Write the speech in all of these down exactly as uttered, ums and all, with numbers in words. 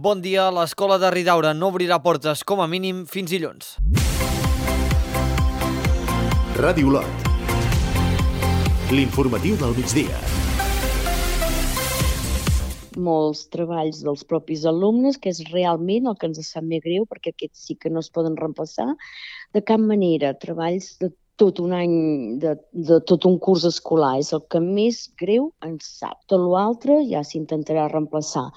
Bon dia, l'escola de Ridaura no obrirà portes com a mínim fins dilluns. Ràdio Lot. L'informatiu del migdia. Molts treballs dels propis alumnes, que és realment el que ens sap més greu, perquè aquests sí que no es poden reemplaçar de cap manera. Treballs de tot un any, de, de tot un curs escolar, és el que més greu ens sap. Tot l'altre ja s'intentarà reemplaçar.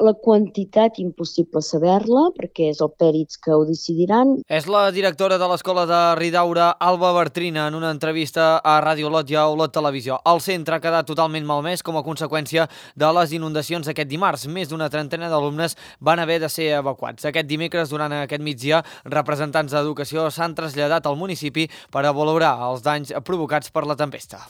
La quantitat impossible saber-la, perquè és el pèrits que ho decidiran. És la directora de l'escola de Ridaura, Alba Bartrina, en una entrevista a Ràdio Lot i a Olot Televisió. El centre ha quedat totalment malmès com a conseqüència de les inundacions aquest dimarts. Més d'una trentena d'alumnes van haver de ser evacuats. Aquest dimecres, durant aquest migdia, representants d'educació s'han traslladat al municipi per a valorar els danys provocats per la tempesta.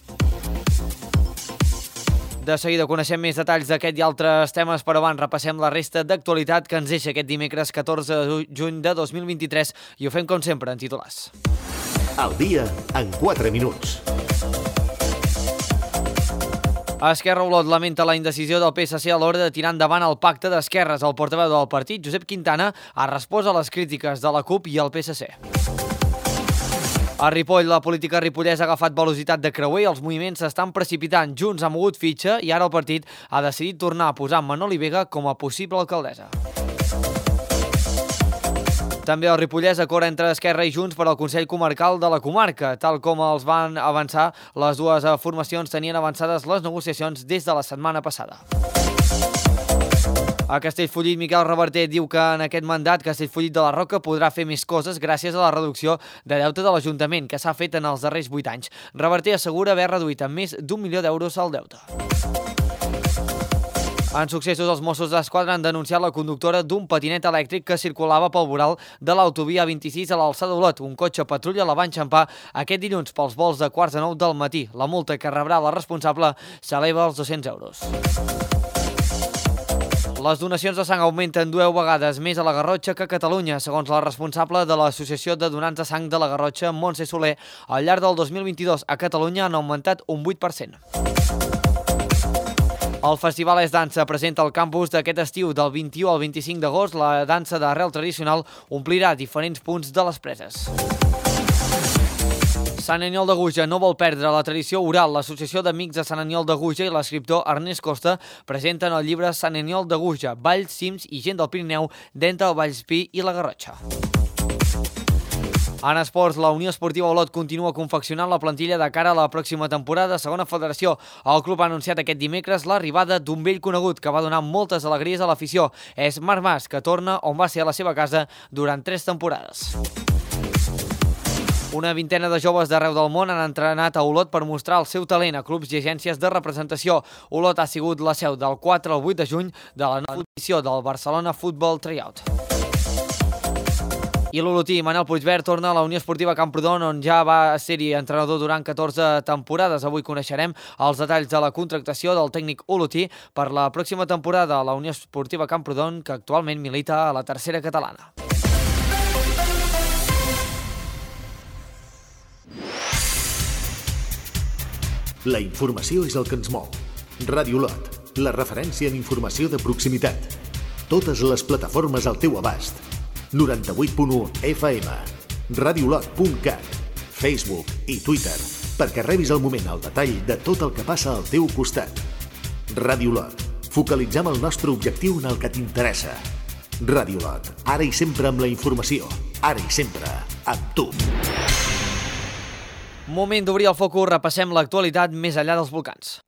De seguida coneixem més detalls d'aquest i altres temes, però abans repassem la resta d'actualitat que ens deixa aquest dimecres catorze de juny de dos mil vint-i-tres i ho fem com sempre en titulars. Al dia en quatre minuts. Esquerra Olot lamenta la indecisió del P S C a l'hora de tirar endavant el pacte d'esquerres. El portaveu del partit, Josep Quintana, ha respost a les crítiques de la CUP i el P S C. A Ripoll, la política ripollesa ha agafat velocitat de creuer i els moviments s'estan precipitant. Junts ha mogut fitxa i ara el partit ha decidit tornar a posar Manoli Vega com a possible alcaldessa. També el Ripollès acorda entre Esquerra i Junts per al Consell Comarcal de la comarca. Tal com els van avançar, les dues formacions tenien avançades les negociacions des de la setmana passada. A Castellfollit, Miquel Reverter diu que en aquest mandat Castellfollit de la Roca podrà fer més coses gràcies a la reducció de deute de l'Ajuntament que s'ha fet en els darrers vuit anys. Reverter assegura haver reduït en més d'un milió d'euros el deute. En successos, els Mossos d'Esquadra han denunciat la conductora d'un patinet elèctric que circulava pel voral de l'autovia vint-i-sis a l'alçada d'Olot. Un cotxe patrulla la va enxampar aquest dilluns pels vols de quarts de nou del matí. La multa que rebrà la responsable s'eleva als dos-cents euros. Les donacions de sang augmenten dues vegades més a la Garrotxa que a Catalunya. Segons la responsable de l'Associació de Donants de Sang de la Garrotxa, Montse Soler, al llarg del dos mil vint-i-dos a Catalunya han augmentat un vuit per cent. El Festival És Dansa presenta al campus d'aquest estiu del vint-i-u al vint-i-cinc d'agost. La dansa d'arrel tradicional omplirà diferents punts de les preses. Sant Aniol de Guja no vol perdre la tradició oral. L'Associació d'Amics de Sant Aniol de Guja i l'escriptor Ernest Costa presenten el llibre Sant Aniol de Guja, Valls, Cims i gent del Pirineu d'entre el Vallespí i la Garrotxa. En esports, la Unió Esportiva Olot continua confeccionant la plantilla de cara a la pròxima temporada a segona federació. El club ha anunciat aquest dimecres l'arribada d'un vell conegut que va donar moltes alegries a l'afició. És Marc Mas, que torna on va ser a la seva casa durant tres temporades. Una vintena de joves d'arreu del món han entrenat a Olot per mostrar el seu talent a clubs i agències de representació. Olot ha sigut la seu del quatre al vuit de juny de la nova edició del Barcelona Football Tryout. I l'olotí Manel Puigvert torna a la Unió Esportiva Camprodon, on ja va ser-hi entrenador durant catorze temporades. Avui coneixerem els detalls de la contractació del tècnic olotí per la pròxima temporada a la Unió Esportiva Camprodon, que actualment milita a la tercera catalana. La informació és el que ens mou. Ràdio Lot, la referència en informació de proximitat. Totes les plataformes al teu abast. noranta-vuit punt u F M, radiolot punt cat, Facebook i Twitter, perquè rebis al moment el detall de tot el que passa al teu costat. Ràdio Lot, focalitzem el nostre objectiu en el que t'interessa. Ràdio Lot, ara i sempre amb la informació, ara i sempre amb tu. Moment d'obrir el focus, repassem l'actualitat més enllà dels volcans.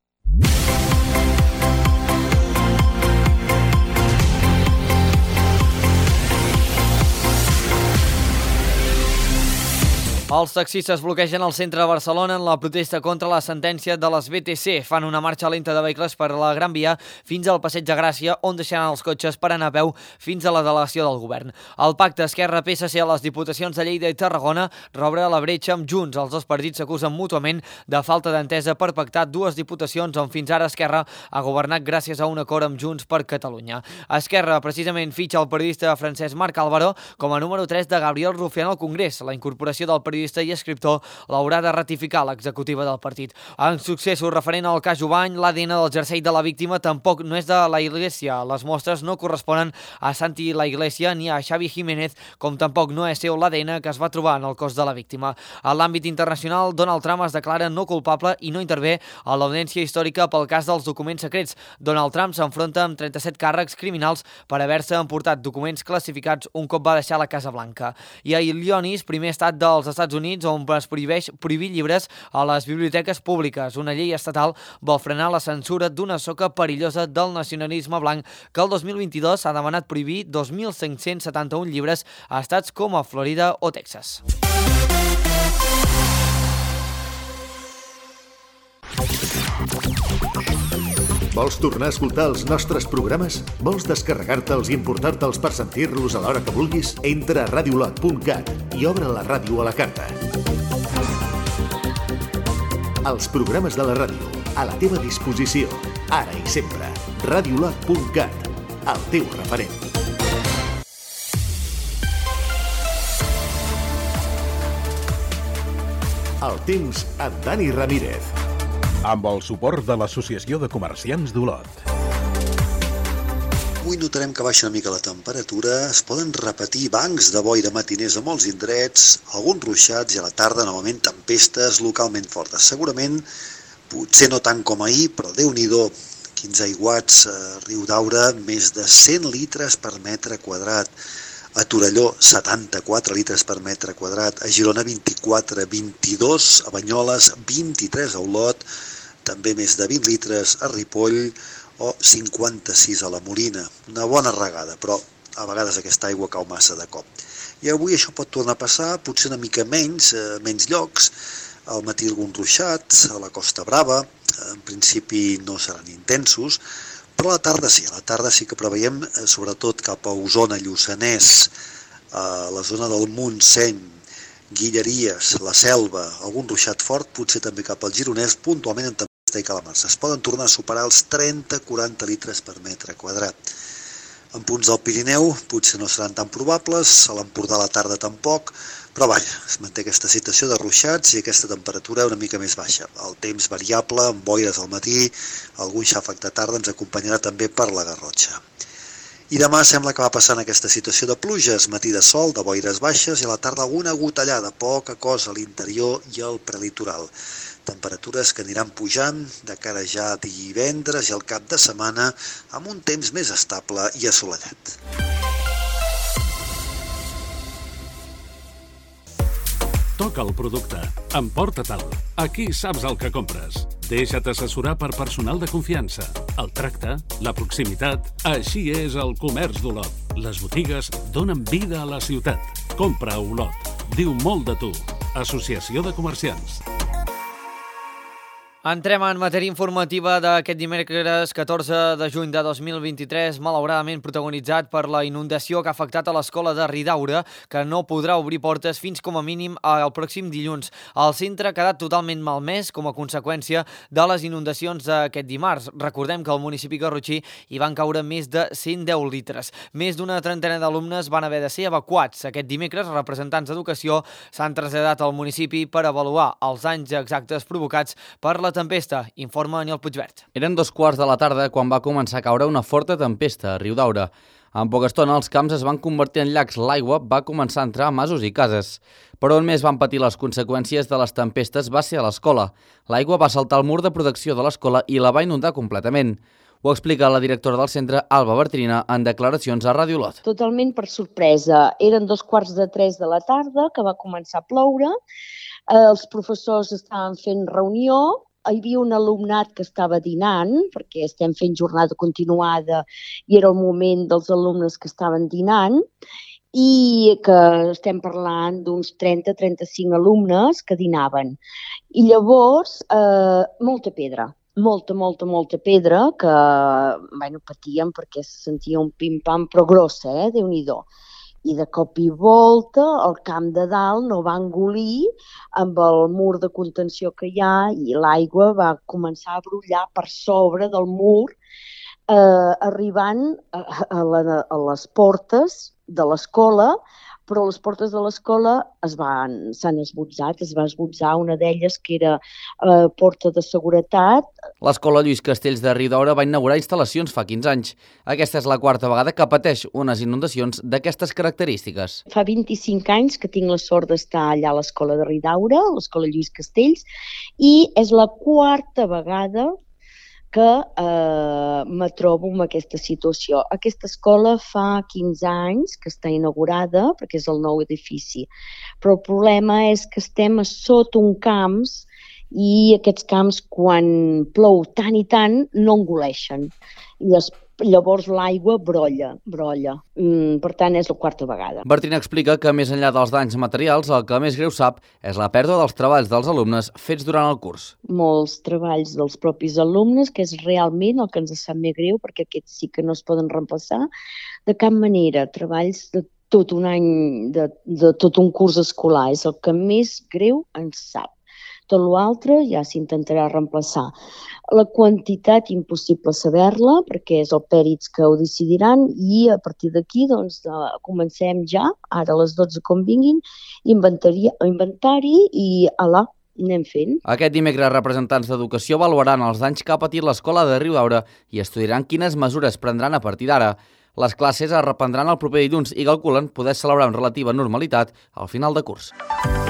Els taxistes bloquegen el centre de Barcelona en la protesta contra la sentència de les B T C. Fan una marxa lenta de vehicles per la Gran Via fins al Passeig de Gràcia, on deixaran els cotxes per anar a peu fins a la delegació del govern. El pacte Esquerra-P S C a les diputacions de Lleida i Tarragona reobre la bretxa amb Junts. Els dos partits s'acusen mútuament de falta d'entesa per pactar dues diputacions on fins ara Esquerra ha governat gràcies a un acord amb Junts per Catalunya. Esquerra precisament fitxa el periodista francès Marc Álvaro com a número tres de Gabriel Rufián al Congrés. La incorporació del periodista periodista i escriptor, l'haurà de ratificar l'executiva del partit. En successos referent al cas Jubany, l'A D N del jersei de la víctima tampoc no és de la Iglesia. Les mostres no corresponen a Santi La Iglesia ni a Xavi Jiménez, com tampoc no és seu l'A D N que es va trobar en el cos de la víctima. A l'àmbit internacional, Donald Trump es declara no culpable i no intervé a l'audiència històrica pel cas dels documents secrets. Donald Trump s'enfronta amb trenta-set càrrecs criminals per haver-se emportat documents classificats un cop va deixar la Casa Blanca. I a Illinois, primer estat dels Estats Units, on es prohibeix prohibir llibres a les biblioteques públiques. Una llei estatal vol frenar la censura d'una soca perillosa del nacionalisme blanc que el dos mil vint-i-dos s'ha demanat prohibir dos mil cinc-cents setanta-un llibres a estats com a Florida o Texas. Vols tornar a escoltar els nostres programes? Vols descarregar-te'ls i importar-te'ls per sentir-los a l'hora que vulguis? Entra a radiolot punt cat i obre la ràdio a la carta. Els programes de la ràdio, a la teva disposició, ara i sempre. radiolot punt cat, el teu referent. El temps amb Dani Ramírez. Amb el suport de l'Associació de Comerciants d'Olot. Avui notarem que baixa una mica la temperatura, es poden repetir bancs de boira matiners a molts indrets, alguns ruixats i a la tarda novament tempestes localment fortes. Segurament, potser no tant com ahir, però Déu-n'hi-do, quinze aiguats a Riudaura, més de cent litres per metre quadrat. A Torelló, setanta-quatre litres per metre quadrat, a Girona, vint-i-quatre, vint-i-dos, a Banyoles, vint-i-tres a Olot, també més de vint litres a Ripoll o cinquanta-sis a la Molina. Una bona regada, però a vegades aquesta aigua cau massa de cop. I avui això pot tornar a passar, potser una mica menys, a menys llocs, al matí alguns ruixats, a la Costa Brava, en principi no seran intensos, però a la tarda sí, a la tarda sí que preveiem, sobretot cap a Osona, Lluçanès, a la zona del Montseny, Guilleries, la Selva, algun ruixat fort, potser també cap al Gironès, puntualment en tempesta i calamarsa. Es poden tornar a superar els trenta a quaranta litres per metre quadrat. En punts del Pirineu potser no seran tan probables, a l'Empordà a la tarda tampoc, però vaja, es manté aquesta situació de ruixats i aquesta temperatura una mica més baixa. El temps variable, amb boires al matí, algun xàfec de tarda ens acompanyarà també per la Garrotxa. I demà sembla que va passant aquesta situació de pluges, matí de sol, de boires baixes i a la tarda alguna gotellada, poca cosa a l'interior i al prelitoral. Temperatures que aniran pujant de cara ja a divendres i al cap de setmana amb un temps més estable i assolellat. Toca el producte. Emporta-te'l. Aquí saps el que compres. Deixa't assessorar per personal de confiança. El tracte, la proximitat, així és el comerç d'Olot. Les botigues donen vida a la ciutat. Compra a Olot. Diu molt de tu. Associació de Comerciants. Entrem en matèria informativa d'aquest dimecres catorze de juny de dos mil vint-i-tres, malauradament protagonitzat per la inundació que ha afectat a l'escola de Ridaura, que no podrà obrir portes fins com a mínim el pròxim dilluns. El centre ha quedat totalment malmès com a conseqüència de les inundacions d'aquest dimarts. Recordem que al municipi garrotxí hi van caure més de cent deu litres. Més d'una trentena d'alumnes van haver de ser evacuats. Aquest dimecres, representants d'educació s'han traslladat al municipi per avaluar els danys exactes provocats per la tempesta, informa Aniol Puigvert. Eren dos quarts de la tarda quan va començar a caure una forta tempesta a Riudaura. En poca estona els camps es van convertir en llacs, l'aigua va començar a entrar a masos i cases. Però on més van patir les conseqüències de les tempestes va ser a l'escola. L'aigua va saltar el mur de protecció de l'escola i la va inundar completament. Ho explica la directora del centre, Alba Bertrina, en declaracions a Ràdio Olot. Totalment per sorpresa. Eren dos quarts de tres de la tarda que va començar a ploure. Els professors estaven fent reunió. Hi havia un alumnat que estava dinant, perquè estem fent jornada continuada i era el moment dels alumnes que estaven dinant, i que estem parlant d'uns trenta a trenta-cinc alumnes que dinaven. I llavors, eh, molta pedra, molta, molta, molta pedra que bueno, patien perquè se sentia un pim-pam, però grossa, eh? Déu-n'hi-do. I de cop i volta el camp de dalt no va engolir amb el mur de contenció que hi ha i l'aigua va començar a brollar per sobre del mur, eh, arribant a, a, la, a les portes de l'escola però les portes de l'escola es van, s'han esbotzat, es va esbotzar una d'elles que era eh, porta de seguretat. L'escola Lluís Castells de Riudaura va inaugurar instal·lacions fa quinze anys. Aquesta és la quarta vegada que pateix unes inundacions d'aquestes característiques. Fa vint-i-cinc anys que tinc la sort d'estar allà a l'escola de Riudaura, l'escola Lluís Castells, i és la quarta vegada que eh, me trobo en aquesta situació. Aquesta escola fa quinze anys que està inaugurada, perquè és el nou edifici, però el problema és que estem a sota un camps i aquests camps, quan plou tant i tant, no engoleixen. I es Llavors l'aigua brolla, brolla. Mm, per tant, és la quarta vegada. Bertina explica que, més enllà dels danys materials, el que més greu sap és la pèrdua dels treballs dels alumnes fets durant el curs. Molts treballs dels propis alumnes, que és realment el que ens sap més greu, perquè aquests sí que no es poden reemplaçar de cap manera. Treballs de tot un any, de, de tot un curs escolar, és el que més greu ens sap. Tot l'altre ja s'intentarà reemplaçar. La quantitat impossible saber-la, perquè és el pèrits que ho decidiran, i a partir d'aquí doncs, de, comencem ja, ara a les dotze com vinguin, inventari, inventari i alà, anem fent. Aquest dimecres, representants d'Educació avaluaran els danys que ha patit l'escola de Riudaura i estudiaran quines mesures prendran a partir d'ara. Les classes es reprendran el proper dilluns i calculen poder celebrar amb relativa normalitat al final de curs.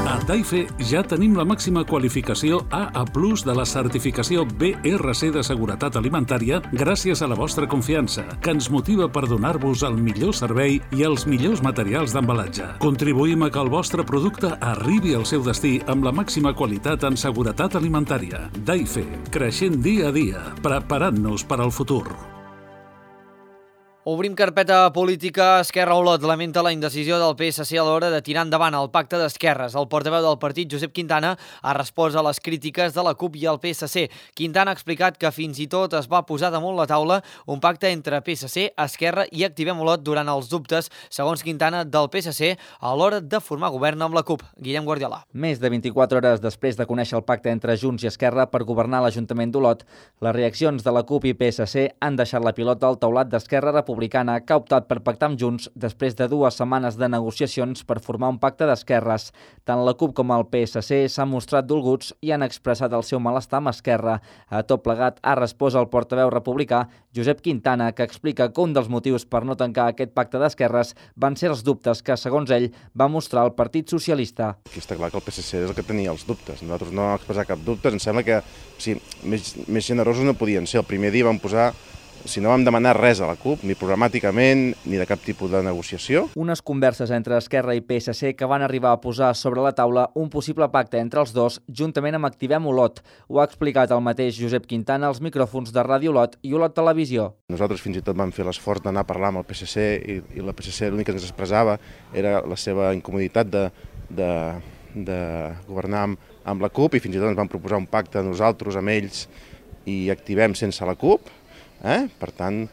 A Daife ja tenim la màxima qualificació A A plus de la certificació B R C de Seguretat Alimentària gràcies a la vostra confiança, que ens motiva per donar-vos el millor servei i els millors materials d'embalatge. Contribuïm a que el vostre producte arribi al seu destí amb la màxima qualitat en seguretat alimentària. Daife, creixent dia a dia, preparant-nos per al futur. Obrim carpeta política. Esquerra Olot lamenta la indecisió del P S C a l'hora de tirar endavant el pacte d'esquerres. El portaveu del partit, Josep Quintana, ha respost a les crítiques de la CUP i el P S C. Quintana ha explicat que fins i tot es va posar damunt la taula un pacte entre P S C, Esquerra i Activem Olot durant els dubtes, segons Quintana, del P S C a l'hora de formar govern amb la CUP. Guillem Guardiola. Més de vint-i-quatre hores després de conèixer el pacte entre Junts i Esquerra per governar l'Ajuntament d'Olot, les reaccions de la CUP i P S C han deixat la pilota al taulat d'Esquerra Republicana, que ha optat per pactar amb Junts després de dues setmanes de negociacions per formar un pacte d'esquerres. Tant la CUP com el P S C s'han mostrat dolguts i han expressat el seu malestar amb Esquerra. A tot plegat ha respost el portaveu republicà, Josep Quintana, que explica que un dels motius per no tancar aquest pacte d'esquerres van ser els dubtes que, segons ell, va mostrar el Partit Socialista. Aquí està clar que el P S C és el que tenia els dubtes. Nosaltres no vam expressar cap dubte. Em sembla que o sigui, més, més generosos no podien ser. El primer dia vam posar Si no vam demanar res a la CUP, ni programàticament, ni de cap tipus de negociació. Unes converses entre Esquerra i P S C que van arribar a posar sobre la taula un possible pacte entre els dos, juntament amb Activem Olot. Ho ha explicat el mateix Josep Quintana als micròfons de Ràdio Olot i Olot Televisió. Nosaltres fins i tot vam fer l'esforç d'anar a parlar amb el P S C i, i la P S C l'únic que ens expressava era la seva incomoditat de, de, de governar amb, amb la CUP, i fins i tot ens van proposar un pacte nosaltres amb ells i Activem sense la CUP. Eh? Per tant,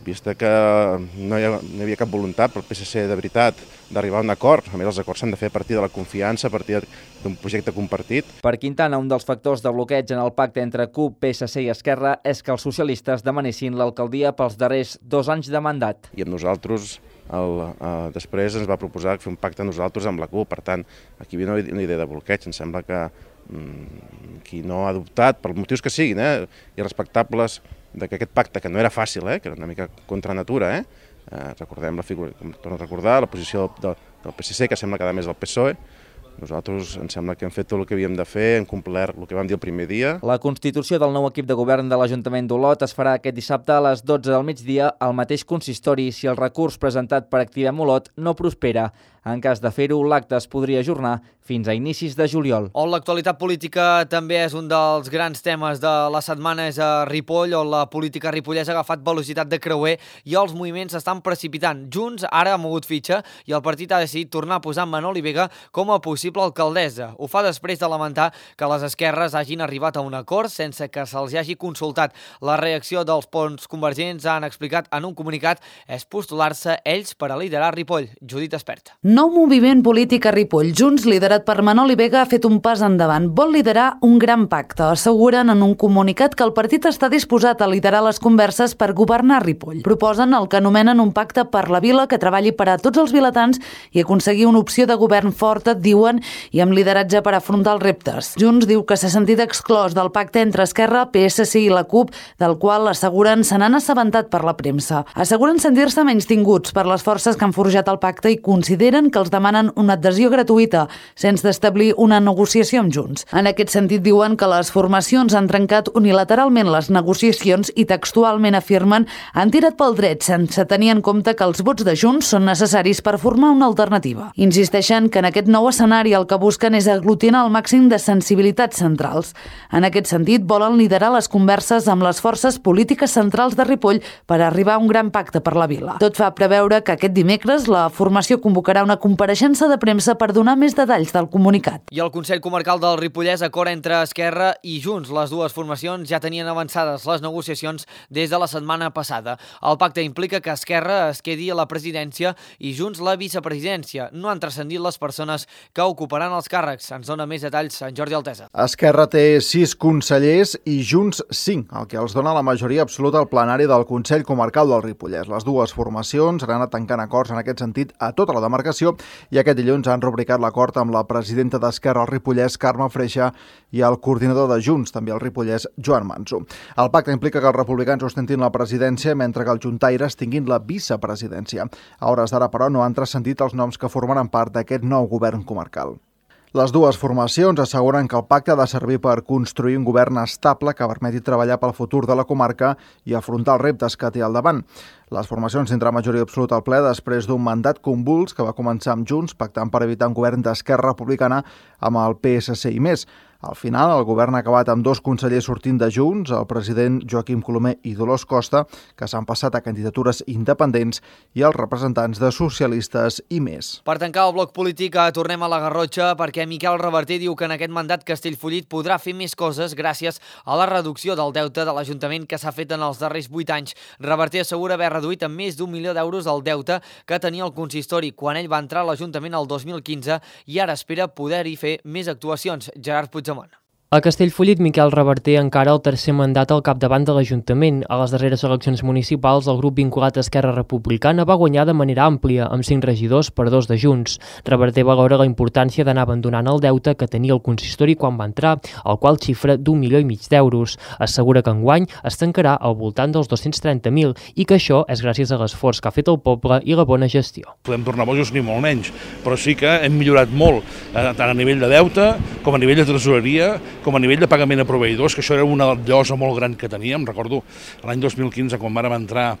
vista que no hi, ha, no hi havia cap voluntat pel P S C de veritat d'arribar a un acord, a més els acords s'han de fer a partir de la confiança, a partir d'un projecte compartit. Per Quintana, un dels factors de bloqueig en el pacte entre CUP, P S C i Esquerra és que els socialistes demanessin l'alcaldia pels darrers dos anys de mandat. I amb nosaltres, el, eh, després ens va proposar fer un pacte a nosaltres amb la CUP, per tant, aquí hi havia una idea de bloqueig. Em sembla que mm, qui no ha adoptat, per motius que siguin, eh, i respectables, de que aquest pacte, que no era fàcil, eh, que era una mica contra natura, eh, eh, recordem la figura, torno a recordar, la posició del, del P S C, que sembla que a més del P S O E, nosaltres em sembla que hem fet tot el que havíem de fer, hem complert el que vam dir el primer dia. La constitució del nou equip de govern de l'Ajuntament d'Olot es farà aquest dissabte a les dotze del migdia al mateix consistori si el recurs presentat per Activem Olot no prospera. En cas de fer-ho, l'acte es podria ajornar fins a inicis de juliol. On l'actualitat política també és un dels grans temes de la setmana, és a Ripoll, on la política ripollesa ha agafat velocitat de creuer i els moviments s'estan precipitant. Junts ara ha mogut fitxa i el partit ha decidit tornar a posar Manoli Vega com a possible alcaldessa. Ho fa després de lamentar que les esquerres hagin arribat a un acord sense que se'ls hagi consultat. La reacció dels ponts convergents, han explicat en un comunicat, és postular-se ells per a liderar Ripoll. Judit Espert. Nou moviment polític a Ripoll. Junts, liderat per Manoli Vega, ha fet un pas endavant. Vol liderar un gran pacte. Asseguren en un comunicat que el partit està disposat a liderar les converses per governar Ripoll. Proposen el que anomenen un pacte per la vila que treballi per a tots els vilatans i aconseguir una opció de govern forta, diuen, i amb lideratge per afrontar els reptes. Junts diu que s'ha sentit exclòs del pacte entre Esquerra, P S C i la CUP, del qual asseguren se n'han assabentat per la premsa. Asseguren sentir-se menystinguts per les forces que han forjat el pacte i consideren que els demanen una adhesió gratuïta sense establir una negociació amb Junts. En aquest sentit diuen que les formacions han trencat unilateralment les negociacions i textualment afirmen han tirat pel dret sense tenir en compte que els vots de Junts són necessaris per formar una alternativa. Insisteixen que en aquest nou escenari el que busquen és aglutinar el màxim de sensibilitats centrals. En aquest sentit volen liderar les converses amb les forces polítiques centrals de Ripoll per arribar a un gran pacte per la vila. Tot fa preveure que aquest dimecres la formació convocarà una compareixença de premsa per donar més detalls del comunicat. I el Consell Comarcal del Ripollès acord entre Esquerra i Junts. Les dues formacions ja tenien avançades les negociacions des de la setmana passada. El pacte implica que Esquerra es quedi a la presidència i Junts la vicepresidència. No han transcendit les persones que ocuparan els càrrecs. Ens dona més detalls en Jordi Altesa. Esquerra té sis consellers i Junts cinc, el que els dona la majoria absoluta al plenari del Consell Comarcal del Ripollès. Les dues formacions han anat tancant acords en aquest sentit a tota la demarcació i aquest dilluns han rubricat l'acord amb la presidenta d'Esquerra al Ripollès, Carme Freixa, i el coordinador de Junts, també al Ripollès, Joan Manso. El pacte implica que els republicans ostentin la presidència mentre que els juntaires tinguin la vicepresidència. A hores d'ara, però, no han transcendit els noms que formaran part d'aquest nou govern comarcal. Les dues formacions asseguren que el pacte ha de servir per construir un govern estable que permeti treballar pel futur de la comarca i afrontar els reptes que té al davant. Les formacions tindran majoria absoluta al ple després d'un mandat convuls que va començar amb Junts, pactant per evitar un govern d'Esquerra Republicana amb el P S C i més. Al final, el govern ha acabat amb dos consellers sortint de Junts, el president Joaquim Colomer i Dolors Costa, que s'han passat a candidatures independents, i els representants de socialistes i més. Per tancar el bloc polític, tornem a la Garrotxa perquè Miquel Reverter diu que en aquest mandat Castellfollit podrà fer més coses gràcies a la reducció del deute de l'Ajuntament que s'ha fet en els darrers vuit anys. Reverter assegura haver reduït en més d'un milió d'euros el deute que tenia el consistori quan ell va entrar a l'Ajuntament el dos mil quinze i ara espera poder-hi fer més actuacions. Gerard Puigdemont. A Castellfollit, Miquel Reverter encara el tercer mandat al capdavant de l'Ajuntament. A les darreres eleccions municipals, el grup vinculat a Esquerra Republicana va guanyar de manera àmplia, amb cinc regidors per dos de Junts. Reverter valora la importància d'anar abandonant el deute que tenia el consistori quan va entrar, el qual xifra d'un milió i mig d'euros. Assegura que enguany es tancarà al voltant dels dos-cents trenta mil i que això és gràcies a l'esforç que ha fet el poble i la bona gestió. Podem tornar bojos ni molt menys, però sí que hem millorat molt, tant a nivell de deute com a nivell de tresoreria, com a nivell de pagament a proveïdors, que això era una llosa molt gran que teníem. Recordo l'any dos mil quinze, quan vàrem entrar,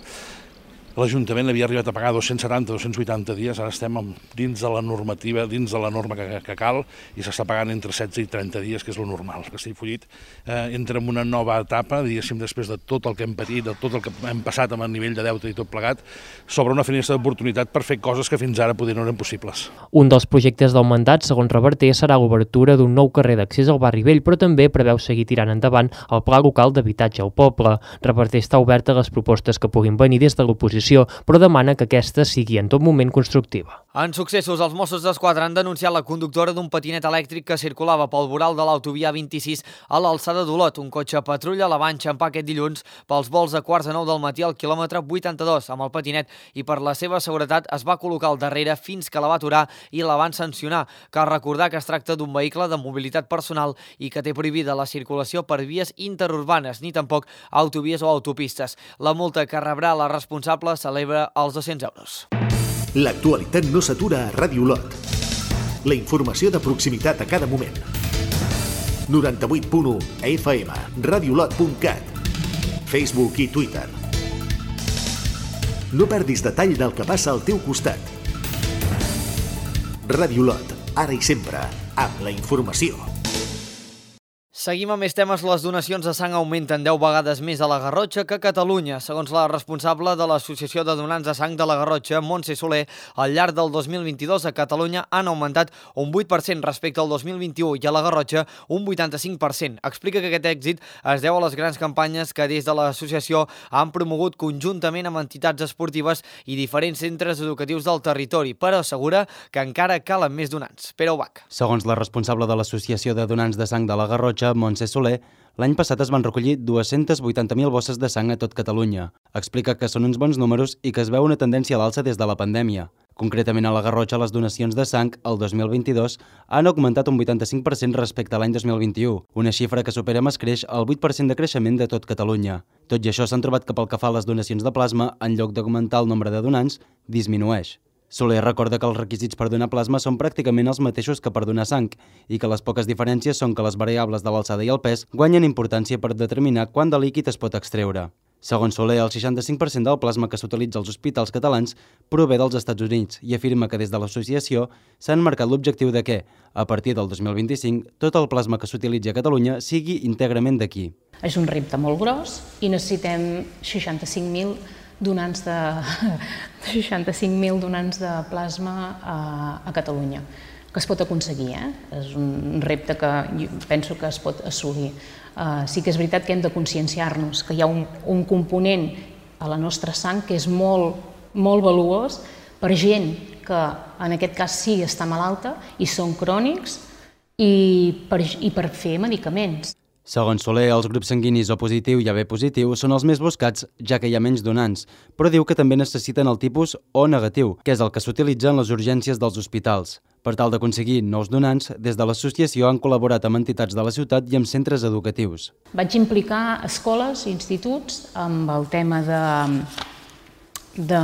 l'Ajuntament havia arribat a pagar dos-cents setanta a dos-cents vuitanta dies, ara estem dins de la normativa, dins de la norma que, que cal, i s'està pagant entre setze i trenta dies, que és lo normal. Castellfollit eh, entra en una nova etapa, diguéssim, després de tot el que hem patit, de tot el que hem passat amb el nivell de deute i tot plegat, s'obre una finestra d'oportunitat per fer coses que fins ara podien no eren possibles. Un dels projectes del mandat, segons Reverter, serà l'obertura d'un nou carrer d'accés al barri vell, però també preveu seguir tirant endavant el pla local d'habitatge al poble. Reverter està obert a les propostes que puguin venir des de l'oposició, però demana que aquesta sigui en tot moment constructiva. En successos, els Mossos d'Esquadra han denunciat la conductora d'un patinet elèctric que circulava pel voral de l'autovia vint-i-sis a l'alçada d'Olot. Un cotxe patrulla la va enxampar aquest dilluns pels vols de quarts de nou del matí al quilòmetre vuitanta-dos amb el patinet i per la seva seguretat es va col·locar al darrere fins que la va aturar i la van sancionar. Cal recordar que es tracta d'un vehicle de mobilitat personal i que té prohibida la circulació per vies interurbanes ni tampoc autovies o autopistes. La multa que rebrà la responsable celebra els dos-cents euros. L'actualitat no s'atura a Ràdio Olot. La informació de proximitat a cada moment. noranta-vuit punt u F M, radiolot punt cat, Facebook i Twitter. No perdis detall del que passa al teu costat. Ràdio Olot, ara i sempre, amb la informació. Seguim amb més temes. Les donacions de sang augmenten deu vegades més a la Garrotxa que a Catalunya. Segons la responsable de l'Associació de Donants de Sang de la Garrotxa, Montse Soler, al llarg del dos mil vint-i-dos a Catalunya han augmentat un vuit per cent respecte al dos mil vint-i-u i a la Garrotxa un vuitanta-cinc per cent. Explica que aquest èxit es deu a les grans campanyes que des de l'associació han promogut conjuntament amb entitats esportives i diferents centres educatius del territori, però assegura que encara calen més donants. Pere Ubach. Segons la responsable de l'Associació de Donants de Sang de la Garrotxa, Montse Soler, l'any passat es van recollir dues-centes vuitanta mil bosses de sang a tot Catalunya. Explica que són uns bons números i que es veu una tendència a l'alça des de la pandèmia. Concretament a la Garrotxa, les donacions de sang el dos mil vint-i-dos han augmentat un vuitanta-cinc per cent respecte a l'any dos mil vint-i-u, una xifra que supera amb escreix el vuit per cent de creixement de tot Catalunya. Tot i això, s'han trobat que pel que fa a les donacions de plasma, en lloc d'augmentar el nombre de donants, disminueix. Soler recorda que els requisits per donar plasma són pràcticament els mateixos que per donar sang i que les poques diferències són que les variables de l'alçada i el pes guanyen importància per determinar quant de líquid es pot extreure. Segons Soler, el seixanta-cinc per cent del plasma que s'utilitza als hospitals catalans prové dels Estats Units i afirma que des de l'associació s'han marcat l'objectiu de que, a partir del dos mil vint-i-cinc, tot el plasma que s'utilitzi a Catalunya sigui íntegrament d'aquí. És un repte molt gros i necessitem seixanta-cinc mil donants de seixanta-cinc mil donants de plasma a, a Catalunya, que es pot aconseguir, eh? És un repte que penso que es pot assolir. Uh, sí que és veritat que hem de conscienciar-nos que hi ha un, un component a la nostra sang que és molt, molt valuós per gent que en aquest cas sí està malalta i són crònics i per, i per fer medicaments. Segons Soler, els grups sanguinis O positiu i A B positiu són els més buscats, ja que hi ha menys donants, però diu que també necessiten el tipus O negatiu, que és el que s'utilitza en les urgències dels hospitals. Per tal d'aconseguir nous donants, des de l'associació han col·laborat amb entitats de la ciutat i amb centres educatius. Vaig implicar escoles i instituts amb el tema de, de,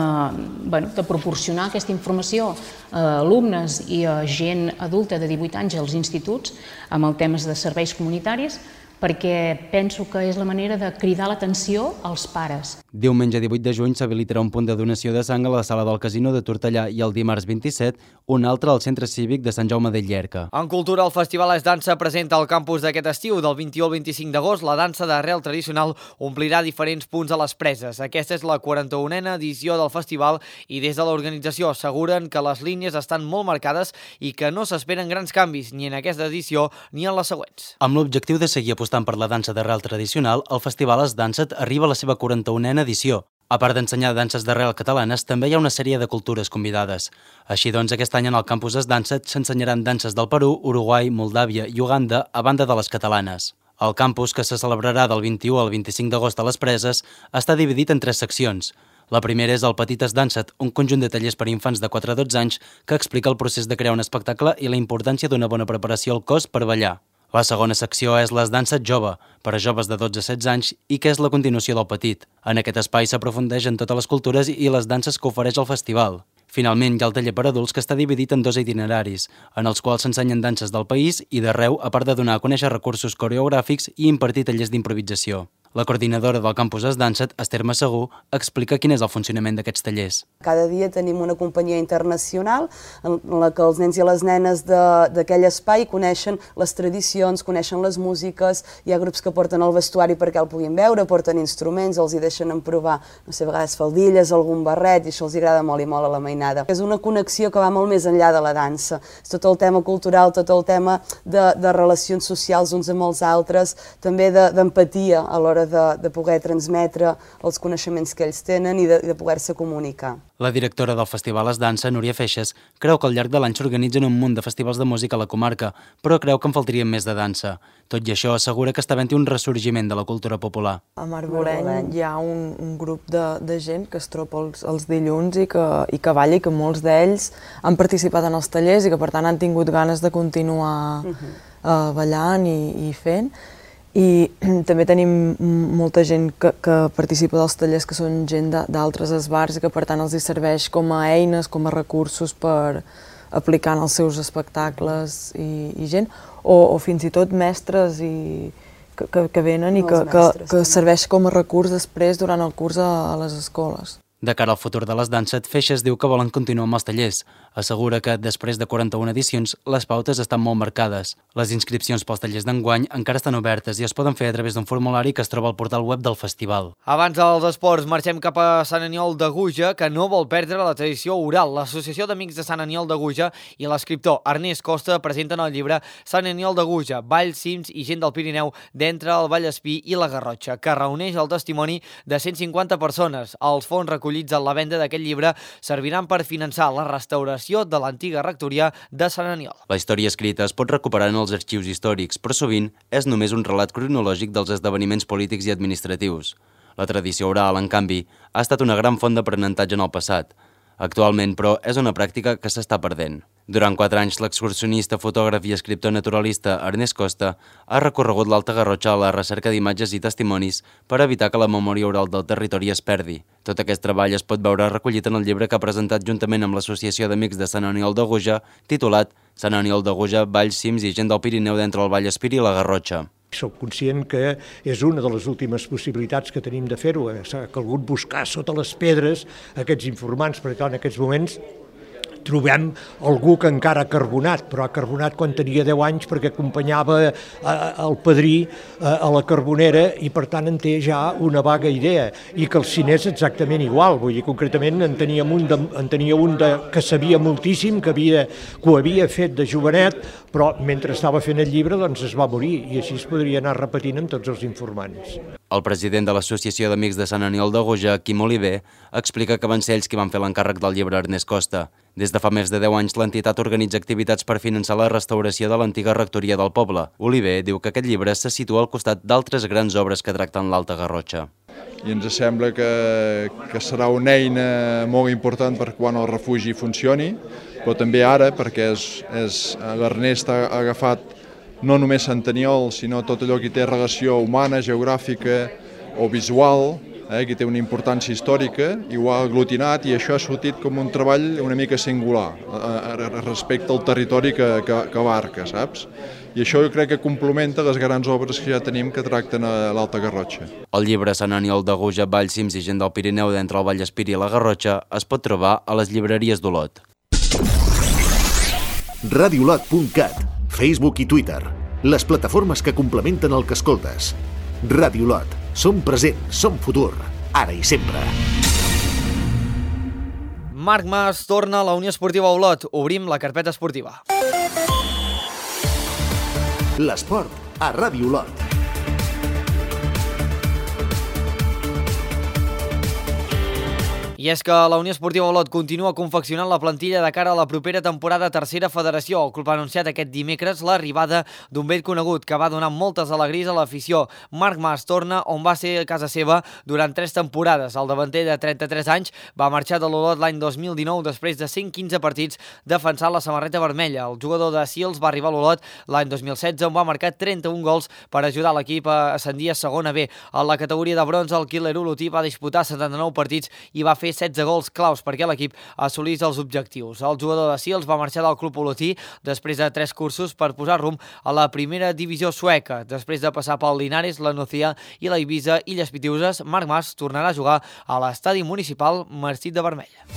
bueno, de proporcionar aquesta informació a alumnes i a gent adulta de divuit anys als instituts amb el temes de serveis comunitaris, perquè penso que és la manera de cridar l'atenció als pares. Diumenge divuit de juny s'habilitarà un punt de donació de sang a la sala del Casino de Tortellà i el dimarts vint-i-set un altre al Centre Cívic de Sant Jaume de Llierca. En cultura, el Festival Es Dansa presenta al campus d'aquest estiu, del vint-i-u al vint-i-cinc d'agost. La dansa d'arrel tradicional omplirà diferents punts a les preses. Aquesta és la quaranta-unena edició del festival i des de l'organització asseguren que les línies estan molt marcades i que no s'esperen grans canvis ni en aquesta edició ni en les següents. Amb l'objectiu de seguir apostant per la dansa d'arrel tradicional, el Festival Es Dansa arriba a la seva quaranta-unena edició. A part d'ensenyar danses d'arrel catalanes, també hi ha una sèrie de cultures convidades. Així doncs, aquest any en el campus Es Dansa s'ensenyaran danses del Perú, Uruguai, Moldàvia i Uganda, a banda de les catalanes. El campus, que se celebrarà del vint-i-u al vint-i-cinc d'agost a les Preses, està dividit en tres seccions. La primera és el Petit Es Dansa, un conjunt de tallers per a infants de quatre a dotze anys que explica el procés de crear un espectacle i la importància d'una bona preparació al cos per ballar. La segona secció és l'Es Dansa Jove, per a joves de dotze a setze anys i que és la continuació del Petit. En aquest espai s'aprofundeix en totes les cultures i les danses que ofereix el festival. Finalment, hi ha el taller per adults que està dividit en dos itineraris, en els quals s'ensenyen danses del país i d'arreu, a part de donar a conèixer recursos coreogràfics i impartir tallers d'improvisació. La coordinadora del campus Es Dansa, Esther Massagú, explica quin és el funcionament d'aquests tallers. Cada dia tenim una companyia internacional en la que els nens i les nenes d'aquell espai coneixen les tradicions, coneixen les músiques, hi ha grups que porten el vestuari perquè el puguin veure, porten instruments, els hi deixen provar, no sé, a vegades faldilles, algun barret, i això els agrada molt i molt a la mainada. És una connexió que va molt més enllà de la dansa. És tot el tema cultural, tot el tema de, de relacions socials uns amb els altres, també d'empatia a l'hora De, de poder transmetre els coneixements que ells tenen i de, de poder-se comunicar. La directora del Festival Es Dansa, Núria Feixes, creu que al llarg de l'any s'organitzen un munt de festivals de música a la comarca, però creu que en faltarien més de dansa. Tot i això, assegura que està havent-hi un ressorgiment de la cultura popular. A Marboreny hi ha un, un grup de, de gent que es troba els, els dilluns i que, i que balla i que molts d'ells han participat en els tallers i que per tant han tingut ganes de continuar uh-huh. uh, ballant i, i fent. I també tenim molta gent que, que participa dels tallers que són gent d'altres esbars i que per tant els hi serveix com a eines, com a recursos per aplicar en els seus espectacles i, i gent, o, o fins i tot mestres i, que, que, que venen i que, que, que serveix com a recurs després durant el curs a, a les escoles. De cara al futur de les danses, Feixes diu que volen continuar amb els tallers. Assegura que, després de quaranta-una edicions, les pautes estan molt marcades. Les inscripcions pels tallers d'enguany encara estan obertes i es poden fer a través d'un formulari que es troba al portal web del festival. Abans dels esports, marxem cap a Sant Aniol de Guja, que no vol perdre la tradició oral. L'Associació d'Amics de Sant Aniol de Guja i l'escriptor Ernest Costa presenten el llibre Sant Aniol de Guja, Valls, Cims i gent del Pirineu d'entre el Vallespí i la Garrotxa, que reuneix el testimoni de cent cinquanta persones. Els fons recollits en la venda d'aquest llibre serviran per finançar la restauració de l'antiga rectoria de Sant Aniol. La història escrita es pot recuperar en els arxius històrics, però sovint és només un relat cronològic dels esdeveniments polítics i administratius. La tradició oral, en canvi, ha estat una gran font d'aprenentatge en el passat. Actualment, però, és una pràctica que s'està perdent. Durant quatre anys, l'excursionista, fotògraf i escriptor naturalista Ernest Costa ha recorregut l'Alta Garrotxa a la recerca d'imatges i testimonis per evitar que la memòria oral del territori es perdi. Tot aquest treball es pot veure recollit en el llibre que ha presentat juntament amb l'Associació d'Amics de Sant Aniol de Guja, titulat Sant Aniol de Guja, Valls, Cims i gent del Pirineu d'entre el Vallespir i la Garrotxa. Soc conscient que és una de les últimes possibilitats que tenim de fer-ho. S'ha calgut buscar sota les pedres aquests informants, perquè en aquests moments trobem algú que encara ha carbonat, però ha carbonat quan tenia deu anys perquè acompanyava el padrí a la carbonera i per tant en té ja una vaga idea. I que el cine és exactament igual, vull dir, concretament en tenia un, de, en tenia un de, que sabia moltíssim, que, havia, que ho havia fet de jovenet, però mentre estava fent el llibre doncs es va morir i així es podria anar repetint amb tots els informants. El president de l'Associació d'Amics de Sant Aniol de Guja, Quim Oliver, explica que van ser ells qui van fer l'encàrrec del llibre Ernest Costa. Des de fa més de deu anys, l'entitat organitza activitats per finançar la restauració de l'antiga rectoria del poble. Oliver diu que aquest llibre se situa al costat d'altres grans obres que tracten l'Alta Garrotxa. I ens sembla que, que serà una eina molt important per quan el refugi funcioni, però també ara, perquè és, és, l'Ernest ha agafat no només Sant Aniol, sinó tot allò que té relació humana, geogràfica o visual, eh, que té una importància històrica, i ho ha aglutinat i això ha sortit com un treball una mica singular eh, respecte al territori que, que, que abarca, saps? I això jo crec que complementa les grans obres que ja tenim que tracten a l'Alta Garrotxa. El llibre Sant Aniol de Guja, Valls, Cims i gent del Pirineu d'entre el Vallespir i la Garrotxa es pot trobar a les llibreries d'Olot. radiolot punt cat, Facebook i Twitter, les plataformes que complementen el que escoltes. Radiolot, som present, som futur, ara i sempre. Marc Mas torna a la Unió Esportiva Olot. Obrim la carpeta esportiva. L'esport a Radiolot. I és que la Unió Esportiva Olot continua confeccionant la plantilla de cara a la propera temporada a Tercera Federació. El club ha anunciat aquest dimecres l'arribada d'un vell conegut que va donar moltes alegries a l'afició. Marc Mas torna on va ser a casa seva durant tres temporades. El davanter de trenta-tres anys va marxar de l'Olot l'any dos mil dinou després de cent quinze partits defensant la samarreta vermella. El jugador de Sils va arribar a l'Olot l'any dos mil setze on va marcar trenta-un gols per ajudar l'equip a ascendir a segona B. A la categoria de bronze el Killer olotí va disputar setanta-nou partits i va fer setze gols claus perquè l'equip assolís els objectius. El jugador de Sils va marxar del club olotí després de tres cursos per posar rumb a la primera divisió sueca. Després de passar pel Linares, la Nucía i la Ibiza Illes Pitiuses, Marc Mas tornarà a jugar a l'estadi municipal Marcit de Vermella.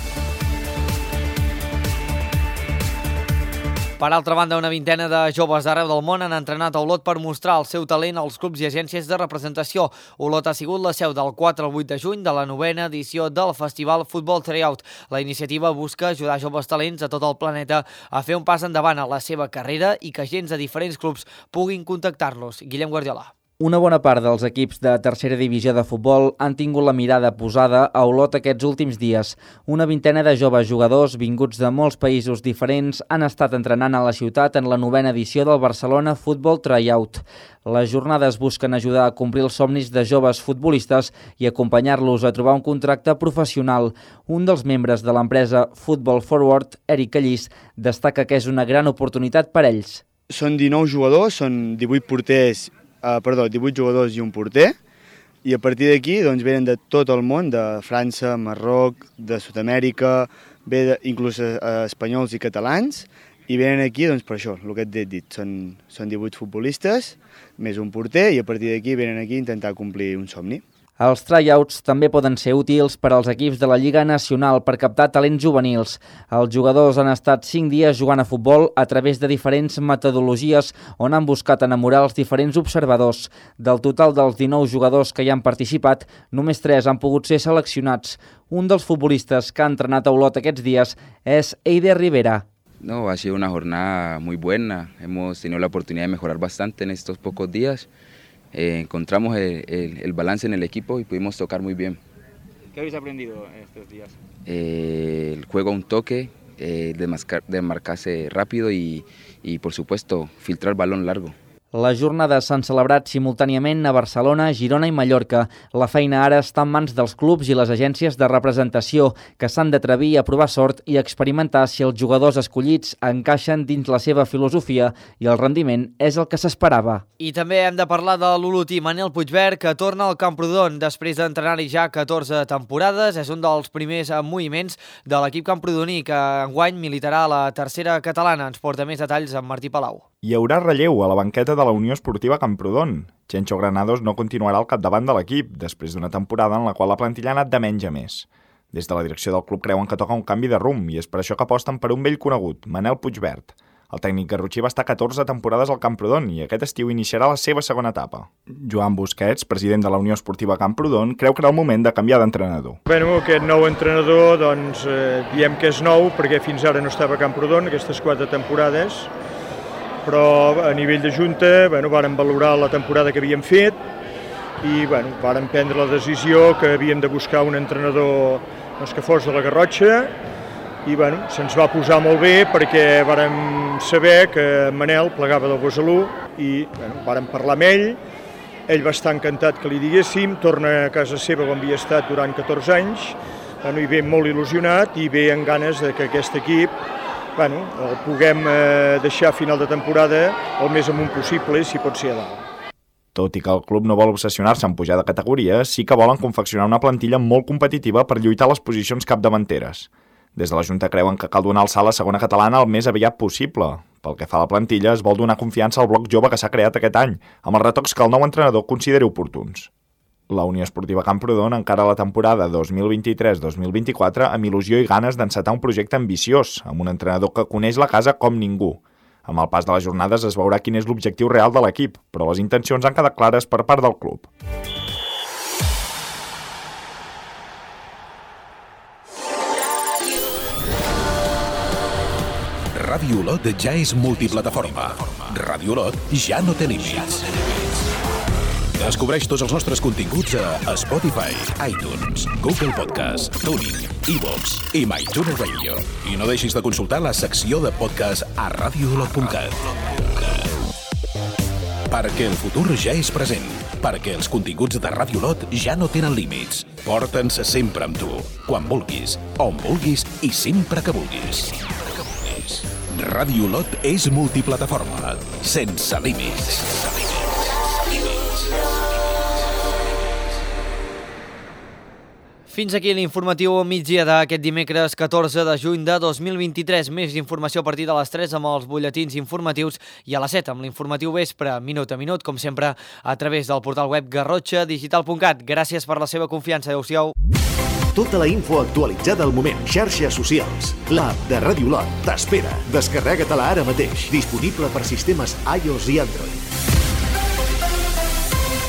Per altra banda, una vintena de joves d'arreu del món han entrenat a Olot per mostrar el seu talent als clubs i agències de representació. Olot ha sigut la seu del quatre al vuit de juny de la novena edició del Festival Futbol Tryout. La iniciativa busca ajudar joves talents a tot el planeta a fer un pas endavant a la seva carrera i que agents de diferents clubs puguin contactar-los. Guillem Guardiola. Una bona part dels equips de tercera divisió de futbol han tingut la mirada posada a Olot aquests últims dies. Una vintena de joves jugadors vinguts de molts països diferents han estat entrenant a la ciutat en la novena edició del Barcelona Futbol Tryout. Les jornades busquen ajudar a complir els somnis de joves futbolistes i acompanyar-los a trobar un contracte professional. Un dels membres de l'empresa Football Forward, Eric Callís, destaca que és una gran oportunitat per ells. Són dinou jugadors, són divuit porters, Uh, perdó, divuit jugadors i un porter, i a partir d'aquí doncs, venen de tot el món, de França, Marroc, de Sud-amèrica, ve de, inclús uh, espanyols i catalans, i venen aquí doncs, per això, el que et he dit, són, són divuit futbolistes, més un porter, i a partir d'aquí venen aquí a intentar complir un somni. Els tryouts també poden ser útils per als equips de la Lliga Nacional per captar talents juvenils. Els jugadors han estat cinc dies jugant a futbol a través de diferents metodologies on han buscat enamorar els diferents observadors. Del total dels dinou jugadors que hi han participat, només tres han pogut ser seleccionats. Un dels futbolistes que ha entrenat a Olot aquests dies és Eider Rivera. No, ha sido una jornada muy buena. Hemos tenido la oportunidad de mejorar bastante en estos pocos días. Eh, encontramos el, el, el balance en el equipo y pudimos tocar muy bien. ¿Qué habéis aprendido estos días? Eh, el juego a un toque, eh, desmarcarse rápido y, y por supuesto filtrar el balón largo. Les jornades s'han celebrat simultàniament a Barcelona, Girona i Mallorca. La feina ara està en mans dels clubs i les agències de representació, que s'han d'atrevir a provar sort i experimentar si els jugadors escollits encaixen dins la seva filosofia i el rendiment és el que s'esperava. I també hem de parlar de l'olotí Manel Puigvert, que torna al Camprodon després d'entrenar-hi ja catorze temporades. És un dels primers moviments de l'equip camprodoní, que enguany militarà a la tercera catalana. Ens porta més detalls amb Martí Palau. Hi haurà relleu a la banqueta de la Unió Esportiva Camprodon. Chencho Granados no continuarà al capdavant de l'equip, després d'una temporada en la qual la plantilla ha anat de menys a més. Des de la direcció del club creuen que toca un canvi de rumb i és per això que aposten per un vell conegut, Manel Puigvert. El tècnic garrotxí va estar catorze temporades al Camprodon i aquest estiu iniciarà la seva segona etapa. Joan Busquets, president de la Unió Esportiva Camprodon, creu que era el moment de canviar d'entrenador. Bueno, aquest nou entrenador, doncs, eh, diem que és nou perquè fins ara no estava a Camprodon, aquestes quatre temporades, però a nivell de Junta bueno, vàrem valorar la temporada que havíem fet i bueno, vàrem prendre la decisió que havíem de buscar un entrenador doncs, que fos de la Garrotxa i bueno, se'ns va posar molt bé perquè vàrem saber que Manel plegava del Besalú i bueno, vàrem parlar amb ell, ell va estar encantat que li diguéssim, torna a casa seva on havia estat durant catorze anys bueno, i ve molt il·lusionat i ve amb ganes de que aquest equip bueno, el puguem eh, deixar a final de temporada el més amunt possible, si pot ser a dalt. Tot i que el club no vol obsessionar-se en pujar de categoria, sí que volen confeccionar una plantilla molt competitiva per lluitar a les posicions capdavanteres. Des de la Junta creuen que cal donar el salt a la segona catalana el més aviat possible. Pel que fa a la plantilla, es vol donar confiança al bloc jove que s'ha creat aquest any, amb els retocs que el nou entrenador consideri oportuns. La Unió Esportiva Camprodon encara la temporada dos mil vint-i-tres dos mil vint-i-quatre amb il·lusió i ganes d'encetar un projecte ambiciós, amb un entrenador que coneix la casa com ningú. Amb el pas de les jornades es veurà quin és l'objectiu real de l'equip, però les intencions han quedat clares per part del club. Ràdio Olot ja és multiplataforma. Ràdio Olot ja no té límits. Descobreix tots els nostres continguts a Spotify, iTunes, Google Podcast, TuneIn, iVoox i MyTuner Radio. I no deixis de consultar la secció de podcast a radio olot punt cat. Perquè el futur ja és present. Perquè els continguts de Ràdio Olot ja no tenen límits. Porta'ns sempre amb tu, quan vulguis, on vulguis i sempre que vulguis. Ràdio Olot és multiplataforma, sense límits. Fins aquí l'informatiu a migdia d'aquest dimecres catorze de juny de dos mil vint-i-tres. Més informació a partir de les tres amb els butlletins informatius i a les set amb l'informatiu vespre, minut a minut, com sempre, a través del portal web garrotxa digital punt cat. Gràcies per la seva confiança. Adéu-siau. Tota la info actualitzada al moment. Xarxes socials. L'app de Ràdio Olot t'espera. Descarrega-te-la ara mateix. Disponible per sistemes iOS i Android.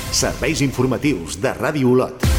Serveis informatius de Ràdio Olot.